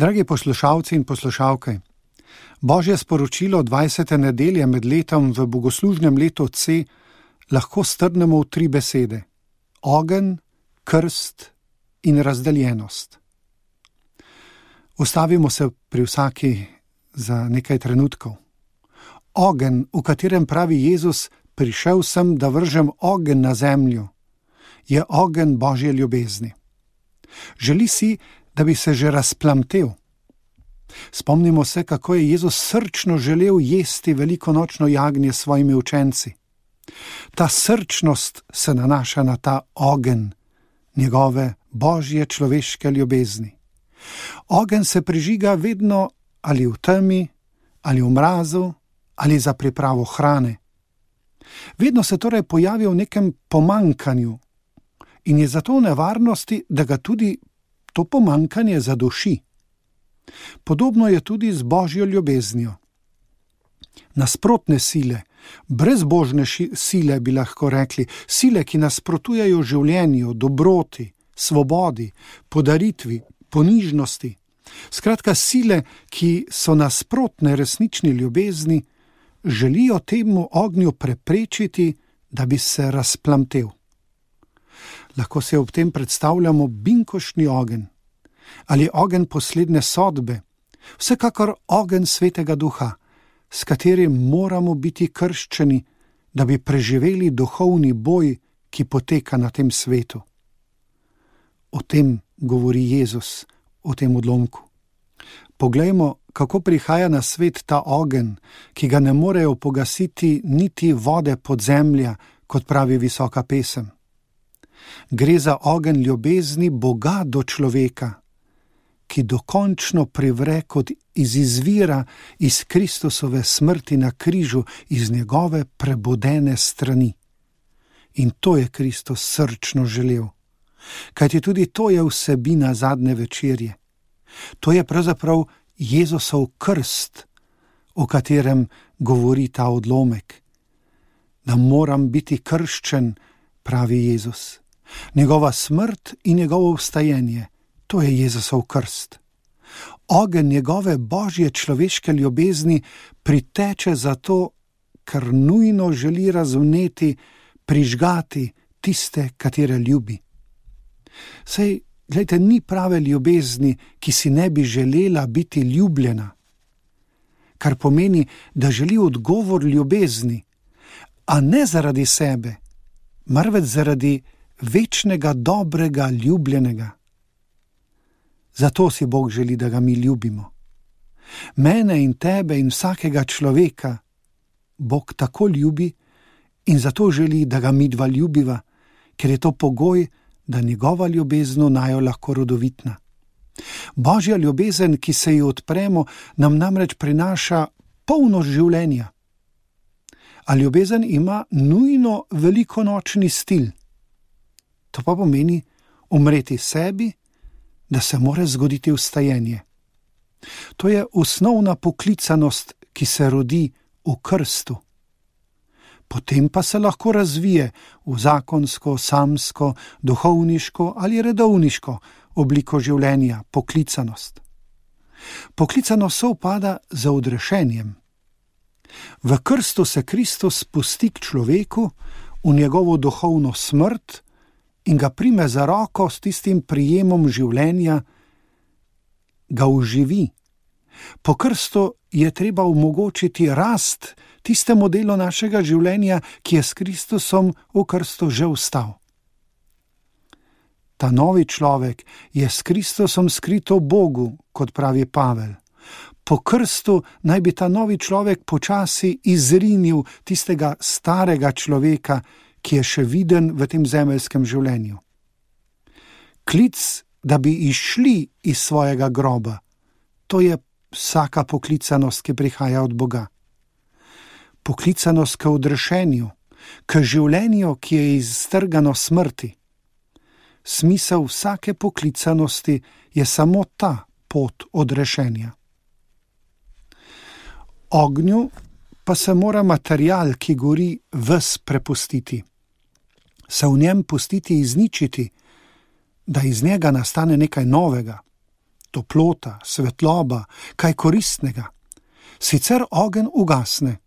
Dragi poslušalci in poslušalke, Božje sporočilo 20. nedelje med letom v bogoslužnem letu C lahko strnemo v 3 besede: ogenj, krst in razdeljenost. Ustavimo se pri vsaki za nekaj trenutkov. Ogenj, v katerem pravi Jezus: prišel sem, da vržem ogenj na zemljo, je ogenj Božje ljubezni. Želi si, da bi se že razplamtel. Spomnimo se, kako je Jezus srčno želel jesti velikonočno jagnje s svojimi učenci. Ta srčnost se nanaša na ta ogenj, njegove Božje človeške ljubezni. Ogenj se prižiga vedno ali v temi, ali v mrazu, ali za pripravo hrane. Vedno se torej pojavi v nekem pomanjkanju in je zato v nevarnosti, da ga tudi to pomanjkanje zaduši. Podobno je tudi z Božjo ljubeznijo. Nasprotne sile, brezbožne sile bi lahko rekli, sile, ki nasprotujejo življenju, dobroti, svobodi, podaritvi, ponižnosti. Skratka, sile, ki so nasprotne resnični ljubezni, želijo temu ognju preprečiti, da bi se razplamtel. Lahko se ob tem predstavljamo binkoštni ogenj ali ogenj poslednje sodbe, vsekakor ogenj Svetega Duha, s katerim moramo biti krščeni, da bi preživeli duhovni boj, ki poteka na tem svetu. O tem govori Jezus, o tem odlomku. Poglejmo, kako prihaja na svet ta ogenj, ki ga ne morejo pogasiti niti vode podzemlja, kot pravi visoka pesem. Gre za ogenj ljubezni Boga do človeka, ki dokončno privre kot izvira iz Kristusove smrti na križu, iz njegove prebudene strani. In to je Kristus srčno želel, kajti tudi to je vsebina zadnje večerje. To je pravzaprav Jezusov krst, o katerem govori ta odlomek. Da moram biti krščen, pravi Jezus. Njegova smrt in njegovo vstajenje, to je Jezusov krst. Ogenj njegove Božje človeške ljubezni priteče zato, ker nujno želi razvneti, prižgati tiste, katere ljubi. Saj, glejte, ni prave ljubezni, ki si ne bi želela biti ljubljena. Kar pomeni, da želi odgovor ljubezni, a ne zaradi sebe, marveč zaradi večnega, dobrega, ljubljenega. Zato si Bog želi, da ga mi ljubimo. Mene in tebe in vsakega človeka Bog tako ljubi in zato želi, da ga midva ljubiva, ker je to pogoj, da njegova ljubezen najo lahko rodovitna. Božja ljubezen, ki se ji odpremo, nam namreč prinaša polnost življenja. A ljubezen ima nujno velikonočni stil. To pa pomeni umreti sebi, da se mora zgoditi vstajenje. To je osnovna poklicanost, ki se rodi v krstu. Potem pa se lahko razvije v zakonsko, samsko, duhovniško ali redovniško obliko življenja, poklicanost. Poklicanost sovpada z odrešenjem. V krstu se Kristus spusti k človeku v njegovo duhovno smrt in ga prime za roko s tistim prijemom življenja, ga oživi. Po krstu je treba omogočiti rast tistemu delu našega življenja, ki je s Kristusom v krstu že vstal. Ta novi človek je s Kristusom skrit v Bogu, kot pravi Pavel. Po krstu naj bi ta novi človek počasi izrinil tistega starega človeka, ki je še viden v tem zemeljskem življenju. Klic, da bi izšli iz svojega groba, to je vsaka poklicanost, ki prihaja od Boga. Poklicanost k odrešenju, k življenju, ki je iztrgano smrti. Smisel vsake poklicanosti je samo ta pot odrešenja. Ognju pa se mora material, ki gori, ves prepustiti. Se v njem pustiti izničiti, da iz njega nastane nekaj novega. toplota, svetloba, kaj koristnega. Sicer ogenj ugasne.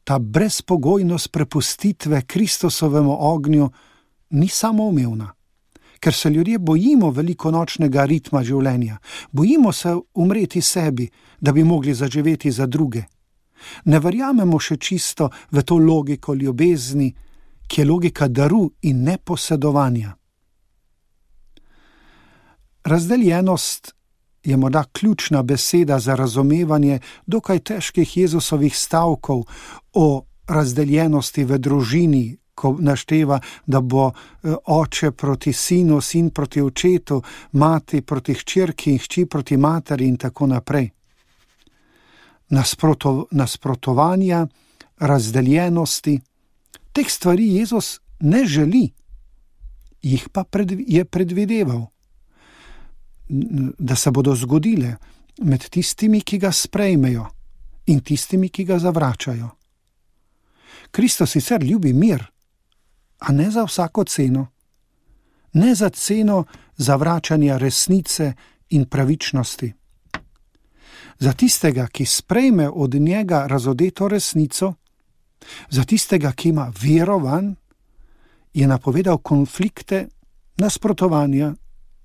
Ta brezpogojnost prepustitve Kristusovemu ognju ni samoumevna, ker se ljudje bojimo velikonočnega ritma življenja, bojimo se umreti sebi, da bi mogli zaživeti za druge. Ne verjamemo še čisto v to logiko ljubezni, ki je logika daru in neposedovanja. Razdeljenost je morda ključna beseda za razumevanje dokaj težkih Jezusovih stavkov o razdeljenosti v družini, ko našteva, da bo oče proti sinu, sin proti očetu, mati proti hčerki in hči proti materi in tako naprej. Nasprotovanja, razdeljenosti, teh stvari Jezus ne želi, jih pa je predvideval, da se bodo zgodile med tistimi, ki ga sprejmejo in tistimi, ki ga zavračajo. Kristus sicer ljubi mir, a ne za vsako ceno. Ne za ceno zavračanja resnice in pravičnosti. Za tistega, ki sprejme od njega razodeto resnico, za tistega, ki ima vero vanj, je napovedal konflikte, nasprotovanja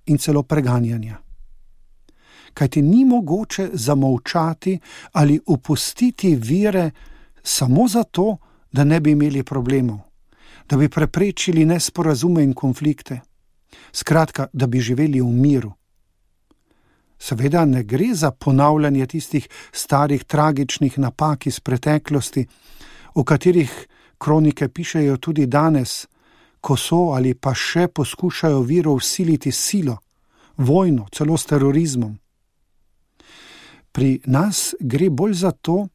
in celo preganjanja. Kajti ni mogoče zamolčati ali opustiti vere samo zato, da ne bi imeli problemov, da bi preprečili nesporazume in konflikte, skratka, da bi živeli v miru. Seveda ne gre za ponavljanje tistih starih tragičnih napak iz preteklosti, o katerih kronike pišejo tudi danes, ko so ali pa še poskušajo vero vsiliti silo, vojno, celo s terorizmom. Pri nas gre bolj za to,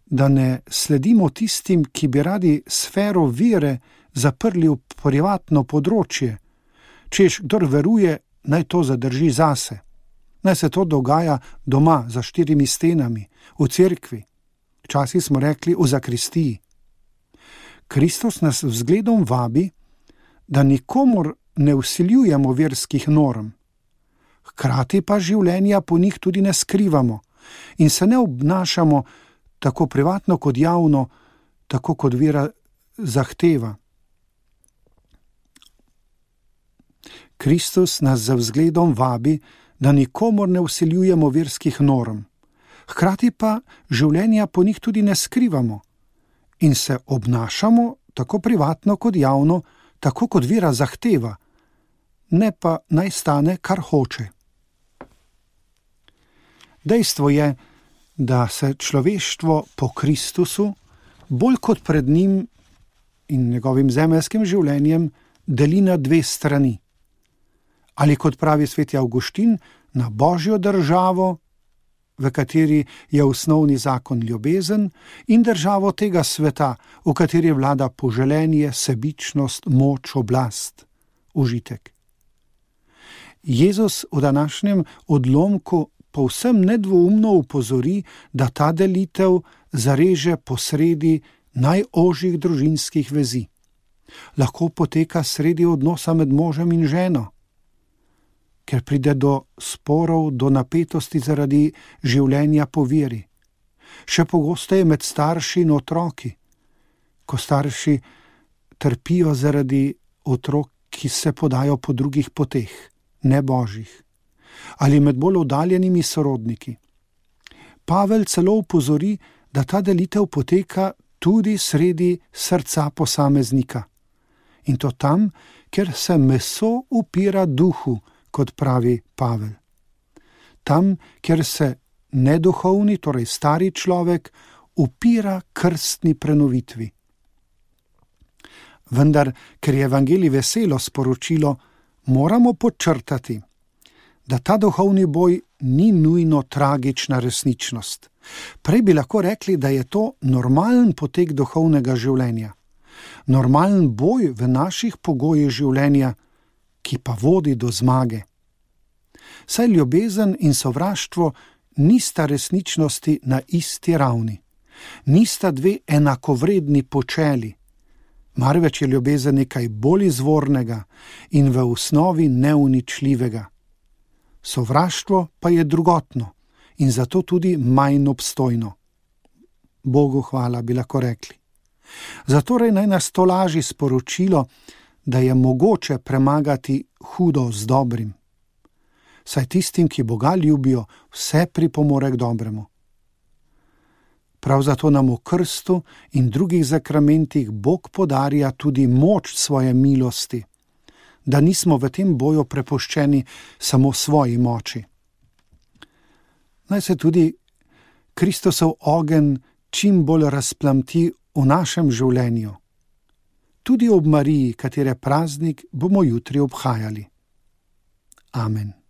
da ne sledimo tistim, ki bi radi sfero vere zaprli v privatno področje, češ kdor veruje, naj to zadrži zase. Naj se to dogaja doma, za 4 stenami, v cerkvi. Včasih smo rekli v zakristiji. Kristus nas vzgledom vabi, da nikomur ne vsiljujemo verskih norm. Hkrati pa življenja po njih tudi ne skrivamo in se ne obnašamo tako privatno kot javno, tako kot vera zahteva. Kristus nas z vzgledom vabi, da nikomur ne vsiljujemo verskih norm. Hkrati pa življenja po njih tudi ne skrivamo in se obnašamo tako privatno kot javno, tako kot vera zahteva, ne pa naj stane, kar hoče. Dejstvo je, da se človeštvo po Kristusu bolj kot pred njim in njegovim zemeljskim življenjem deli na 2 strani. Ali kot pravi sveti Avguštin, na Božjo državo, v kateri je osnovni zakon ljubezen, in državo tega sveta, v kateri vlada poželenje, sebičnost, moč, oblast, užitek. Jezus v današnjem odlomku povsem nedvoumno upozori, da ta delitev zareže posredi najožjih družinskih vezi. Lahko poteka sredi odnosa med možem in ženo, ker pride do sporov, do napetosti zaradi življenja po veri. Še pogosteje med starši in otroki, ko starši trpijo zaradi otrok, ki se podajo po drugih poteh, ne božjih, ali med bolj oddaljenimi sorodniki. Pavel celo upozori, da ta delitev poteka tudi sredi srca posameznika. In to tam, kjer se meso upira duhu, kot pravi Pavel. Tam, kjer se neduhovni, torej stari človek, upira krstni prenovitvi. Vendar, ker je evangelij veselo sporočilo, moramo podčrtati, da ta duhovni boj ni nujno tragična resničnost. Prej bi lahko rekli, da je to normalen potek duhovnega življenja. Normalen boj v naših pogojih življenja, ki pa vodi do zmage. Saj ljubezen in sovraštvo nista resničnosti na isti ravni. Nista 2 enakovredni počeli. Marveč je ljubezen nekaj bolj izvornega in v osnovi neuničljivega. sovraštvo pa je drugotno in zato tudi manj obstojno. Bogu hvala, bi lahko rekli. Zatorej naj nas tolaži sporočilo, da je mogoče premagati hudo z dobrim. Saj tistim, ki Boga ljubijo, vse pripomore k dobremu. Prav zato nam v krstu in drugih zakramentih Bog podarja tudi moč svoje milosti, da nismo v tem boju prepuščeni samo svoji moči. Naj se tudi Kristusov ogenj čim bolj razplamti v našem življenju. Tudi ob Mariji, katere praznik bomo jutri obhajali. Amen.